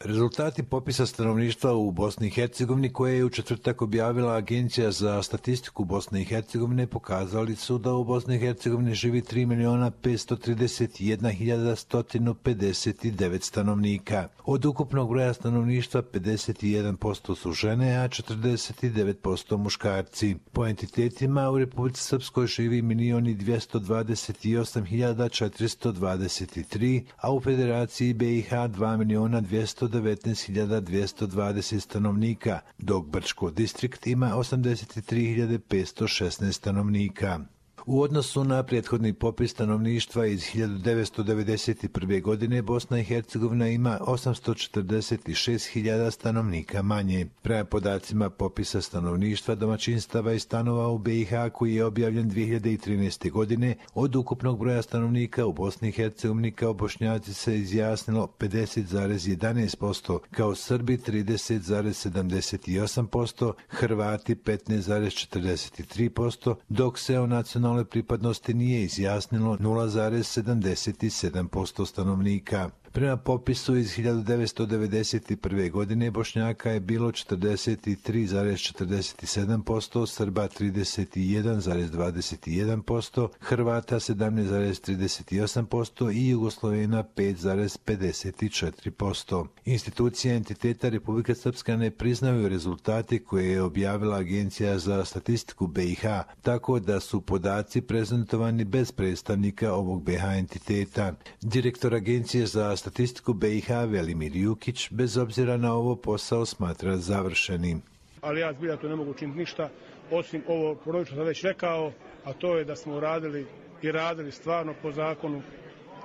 Rezultati popisa stanovništva u Bosni i Hercegovini koje je u četvrtak objavila Agencija za statistiku Bosne i Hercegovine pokazali su da u Bosni i Hercegovini živi 3.531.159 stanovnika. Od ukupnog broja stanovništva 51% su žene, a 49% muškarci. Po entitetima u Republici Srpskoj živi 1.228.423, a u Federaciji BiH 2.219.220 stanovnika, dok Brčko distrikt ima 83.516 stanovnika. U odnosu na prethodni popis stanovništva iz 1991. godine Bosna i Hercegovina ima 846.000 stanovnika manje. Prema podacima popisa stanovništva, domaćinstava i stanova u BiH koji je objavljen 2013. godine, od ukupnog broja stanovnika u Bosni i Hercegovini kao Bošnjaci se izjasnilo 50,11%, kao Srbi 30,78%, Hrvati 15,43%, dok se o nacionalnoj pripadnosti nije izjasnilo 0,77% stanovnika. Prema popisu iz 1991. godine Bošnjaka je bilo 43,47%, Srba 31,21%, Hrvata 17,38% i Jugoslovena 5,54%. Institucije entiteta Republike Srpska ne priznaju rezultati koje je objavila Agencija za statistiku BiH, tako da su podaci prezentovani bez predstavnika ovog BiH entiteta. Direktor Agencije za statistiku BiH Velimir Jukić bez obzira na ovo posao smatra završenim. Ali ja zbilja tu ne mogu učiniti ništa, osim ovo što sam već rekao, a to je da smo radili stvarno po zakonu,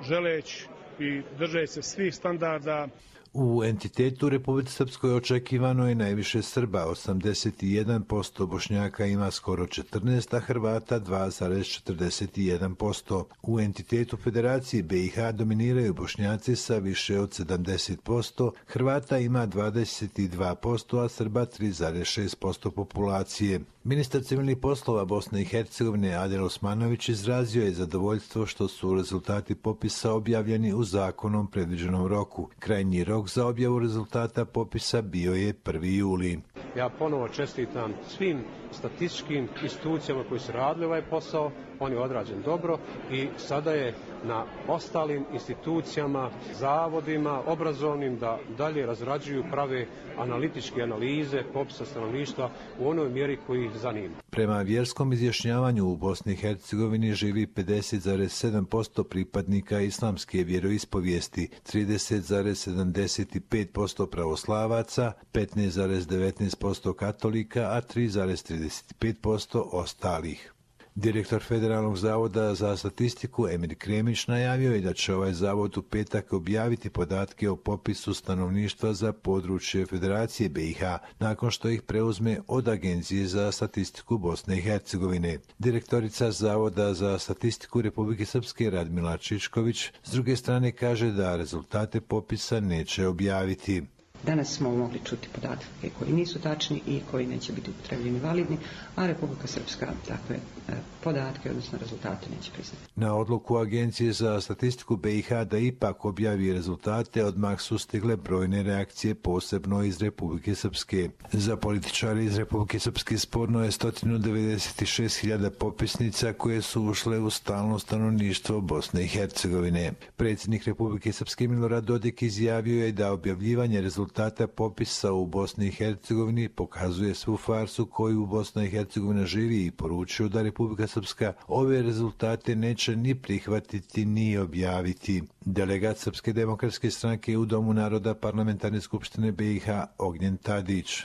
želeći i držeći se svih standarda. U entitetu Republike Srpskoj očekivano je najviše Srba, 81%, Bošnjaka ima skoro 14%, a Hrvata 2,41%. U entitetu Federacije BiH dominiraju Bošnjaci sa više od 70%, Hrvata ima 22%, a Srba 3,6% populacije. Ministar civilnih poslova Bosne i Hercegovine Adil Osmanović izrazio je zadovoljstvo što su rezultati popisa objavljeni u zakonom predviđenom roku. Krajnji rok za objavu rezultata popisa bio je 1. juli. Ja ponovo čestitam svim statističkim institucijama koji su radili ovaj posao, on je odrađen dobro i sada je na ostalim institucijama, zavodima, obrazovnim da dalje razrađuju, prave analitičke analize popisa stanovništva u onoj mjeri koji ih zanima. Prema vjerskom izjašnjavanju u Bosni i Hercegovini živi 50,7% pripadnika islamske vjeroispovijesti, 30,75% pravoslavaca, 15,19% katolika, a 3,35% ostalih. Direktor Federalnog zavoda za statistiku Emir Kremić najavio je da će ovaj zavod u petak objaviti podatke o popisu stanovništva za područje Federacije BiH, nakon što ih preuzme od Agencije za statistiku Bosne i Hercegovine. Direktorica Zavoda za statistiku Republike Srpske Radmila Čičković s druge strane kaže da rezultate popisa neće objaviti. Danas smo mogli čuti podatke koji nisu tačni i koji neće biti upotrebljeni validni, a Republika Srpska takve podatke, odnosno rezultate, neće priznati. Na odluku Agencije za statistiku BiH da ipak objavi rezultate odmah su stigle brojne reakcije, posebno iz Republike Srpske. Za političare iz Republike Srpske sporno je 196.000 popisnica koje su ušle u stalno stanovništvo Bosne i Hercegovine. Predsjednik Republike Srpske Milorad Dodik izjavio je da objavljivanje rezultata popisa u Bosni i Hercegovini pokazuje svu farsu koju Bosna i Hercegovina živi i poručio da Republika Srpska ove rezultate neće ni prihvatiti ni objaviti. Delegat Srpske demokratske stranke u Domu naroda Parlamentarne skupštine BiH Ognjen Tadić.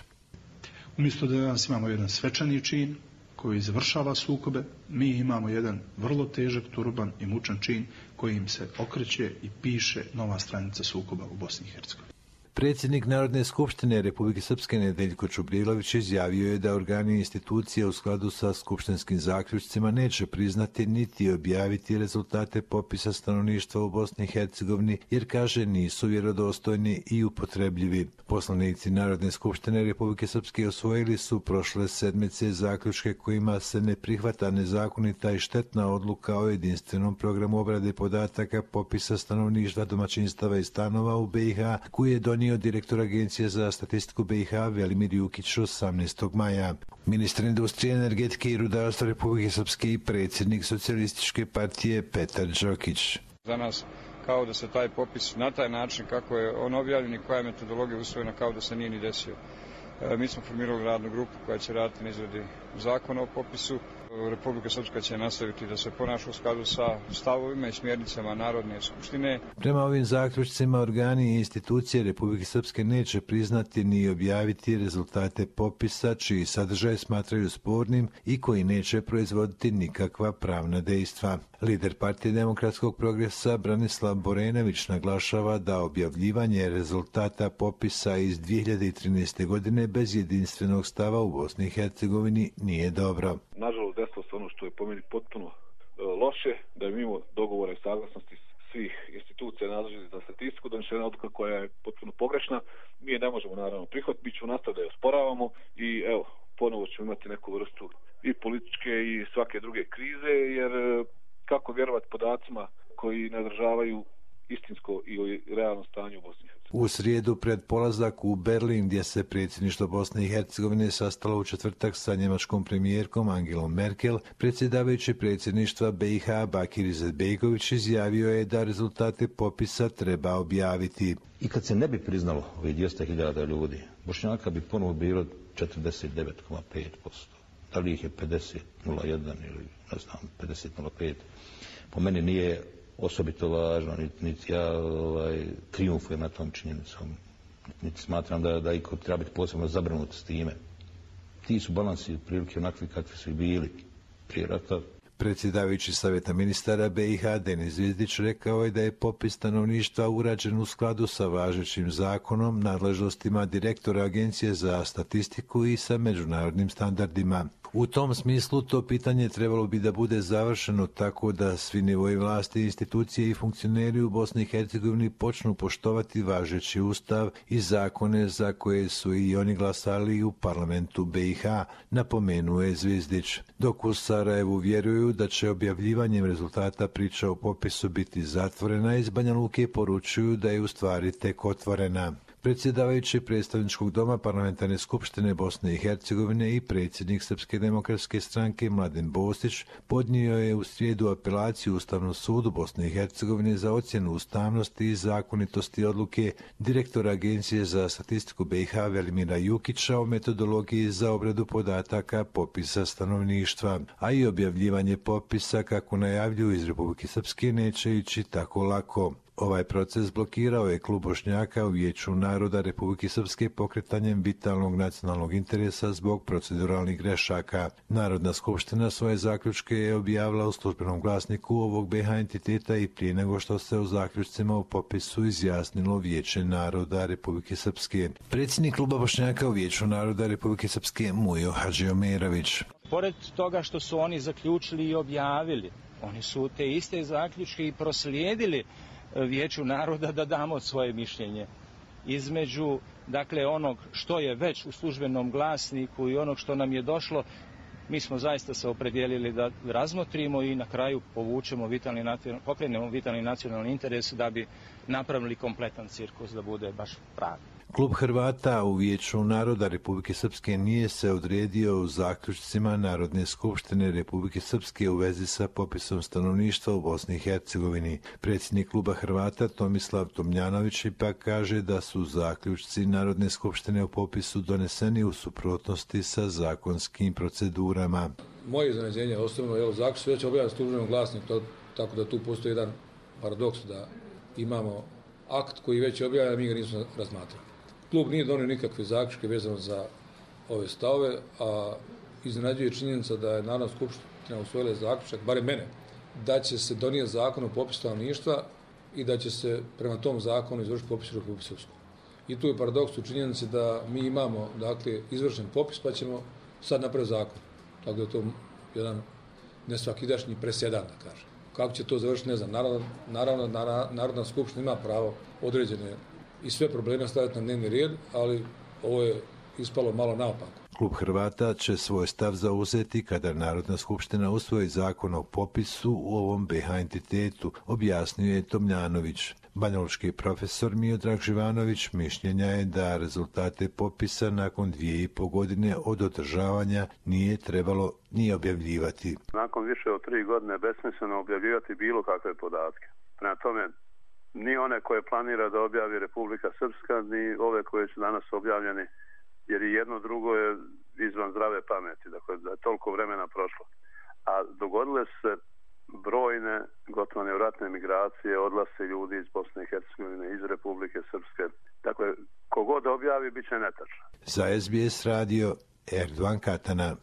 Umjesto da danas imamo jedan svečani čin koji završava sukobe, mi imamo jedan vrlo težak, turban i mučan čin kojim se okreće i piše nova stranica sukoba u Bosni i Hercegovini. Predsjednik Narodne skupštine Republike Srpske Nedeljko Čubrilović izjavio je da organi i institucije u skladu sa skupštinskim zaključcima neće priznati niti objaviti rezultate popisa stanovništva u Bosni i Hercegovini jer, kaže, nisu vjerodostojni i upotrebljivi. Poslanici Narodne skupštine Republike Srpske usvojili su prošle sedmice zaključke kojima se ne prihvata nezakonita i štetna odluka o jedinstvenom programu obrade podataka popisa stanovništva, domaćinstava i stanova u BiH koji je donio iznio direktor Agencije za statistiku BiH Velimir Jukić 18. maja. Ministar industrije, energetike i rudarstva Republike Srpske i predsjednik Socijalističke partije Petar Đokić. Za nas kao da se taj popis na taj način kako je on objavljen i koja je metodologija usvojena kao da se nije ni desio. Mi smo formirali radnu grupu koja će raditi na izradi zakona o popisu. Republika Srpska će nastaviti da se ponaša u skladu sa stavovima i smjernicama Narodne skupštine. Prema ovim zaključcima, organi i institucije Republike Srpske neće priznati ni objaviti rezultate popisa čiji sadržaj smatraju spornim i koji neće proizvoditi nikakva pravna dejstva. Lider Partije demokratskog progresa Branislav Borenović naglašava da objavljivanje rezultata popisa iz 2013. godine bez jedinstvenog stava u Bosni i Hercegovini nije dobro. Nažalost, desilo se ono što je po meni potpuno loše, da je mimo dogovora i saglasnosti svih institucija nadležnih za statistiku donešena odluka koja je potpuno pogrešna. Mi je ne možemo naravno prihvatiti, mi ćemo nastaviti da je osporavamo i evo, ponovo ćemo imati neku vrstu i političke i svake druge krize, jer kako vjerovati podacima koji ne održavaju istinsko i realno stanje u Bosni i Hercegovini. U srijedu pred polazak u Berlin, gdje se predsjedništvo Bosne i Hercegovine sastalo u četvrtak sa njemačkom premijerkom Angelom Merkel, predsjedavajući predsjedništva BiH Bakir Izetbegović izjavio je da rezultate popisa treba objaviti. I kad se ne bi priznalo ovih 200.000 ljudi, Bošnjaka bi ponovo bilo 49,5%. Da li ih je 50,01 ili ne znam 50,05. Po meni nije osobito važno, niti ja trijumfujem na tom činjenicom, niti smatram da iko treba biti posebno zabrinut s time. Ti su balansi prilike onakvi kakvi su i bili prije rata. Predsjedavajući Savjeta ministara BiH Denis Zvizdić rekao je da je popis stanovništva urađen u skladu sa važećim zakonom, nadležnostima direktora Agencije za statistiku i sa međunarodnim standardima. U tom smislu to pitanje trebalo bi da bude završeno tako da svi nivoji vlasti, institucije i funkcioneri u Bosni i Hercegovini počnu poštovati važeći ustav i zakone za koje su i oni glasali u parlamentu BiH, napomenuo je Zvizdić. Dok u Sarajevu vjeruju da će objavljivanjem rezultata priča o popisu biti zatvorena, iz Banja Luke poručuju da je u stvari tek otvorena. Predsjedavajući predstavničkog doma Parlamentarne skupštine Bosne i Hercegovine i predsjednik Srpske demokratske stranke Mladen Bostić podnio je u srijedu apelaciju Ustavnom sudu Bosne i Hercegovine za ocjenu ustavnosti i zakonitosti odluke direktora Agencije za statistiku BiH Velimira Jukića o metodologiji za obradu podataka popisa stanovništva, a i objavljivanje popisa, kako najavljuju iz Republike Srpske, neće ići tako lako. Ovaj proces blokirao je Klub Bošnjaka u Vijeću naroda Republike Srpske pokretanjem vitalnog nacionalnog interesa zbog proceduralnih grešaka. Narodna skupština svoje zaključke je objavila u službenom glasniku ovog BiH entiteta i prije nego što se o zaključcima u popisu izjasnilo Vijeće naroda Republike Srpske. Predsjednik Kluba Bošnjaka u Vijeću naroda Republike Srpske Mujo Hadžiomerović. Pored toga što su oni zaključili i objavili, oni su te iste zaključke i proslijedili Vijeću naroda da damo svoje mišljenje. Između, dakle, onog što je već u službenom glasniku i onog što nam je došlo, mi smo zaista se opredijelili da razmotrimo i na kraju pokrenemo vitalni nacionalni interes da bi napravili kompletan cirkus, da bude baš pravi. Klub Hrvata u Vijeću naroda Republike Srpske nije se odredio u zaključcima Narodne skupštine Republike Srpske u vezi sa popisom stanovništva u Bosni i Hercegovini. Predsjednik Kluba Hrvata Tomislav Tomljanović ipak kaže da su zaključci Narodne skupštine o popisu doneseni u suprotnosti sa zakonskim procedurama. Moje iznenađenje osobno, zaključci su već objavljeni u službenom glasniku, tako da tu postoji jedan paradoks da imamo akt koji već je objavljen, a mi ga nismo razmatrali. Klub nije donio nikakve zaključke vezano za ove stavove, a iznenađuje činjenica da je Narodna skupština usvojila zaključak, barem mene, da će se donijeti zakon o popisu stanovništva i da će se prema tom zakonu izvršiti popis u Republike Srpskoj. I tu je paradoks u činjenici da mi imamo, dakle, izvršen popis, pa ćemo sad napraviti zakon. Tako da je to jedan nesvakidašnji presedan, da kažem. Kako će to završiti, ne znam. Naravno, Narodna skupština ima pravo određene i sve probleme staviti na dnevni red, ali ovo je ispalo malo naopako. Klub Hrvata će svoj stav zauzeti kada Narodna skupština usvoji zakon o popisu u ovom BiH entitetu, objasnio je Tomljanović. Banjalučki profesor Miodrag Živanović mišljenja je da rezultate popisa nakon 2,5 godine od održavanja nije trebalo ni objavljivati. Nakon više od 3 godine besmisleno objavljivati bilo kakve podatke. Prema tome, ni one koje planira da objavi Republika Srpska, ni ove koje su danas objavljeni, jer i jedno drugo je izvan zdrave pameti, dakle da je toliko vremena prošlo. A dogodile se brojne, gotovo nevratne migracije, odlasci ljudi iz Bosne i Hercegovine, iz Republike Srpske. Dakle, kogod objavi, bit će netačno. Za SBS radio Erdogan Katana.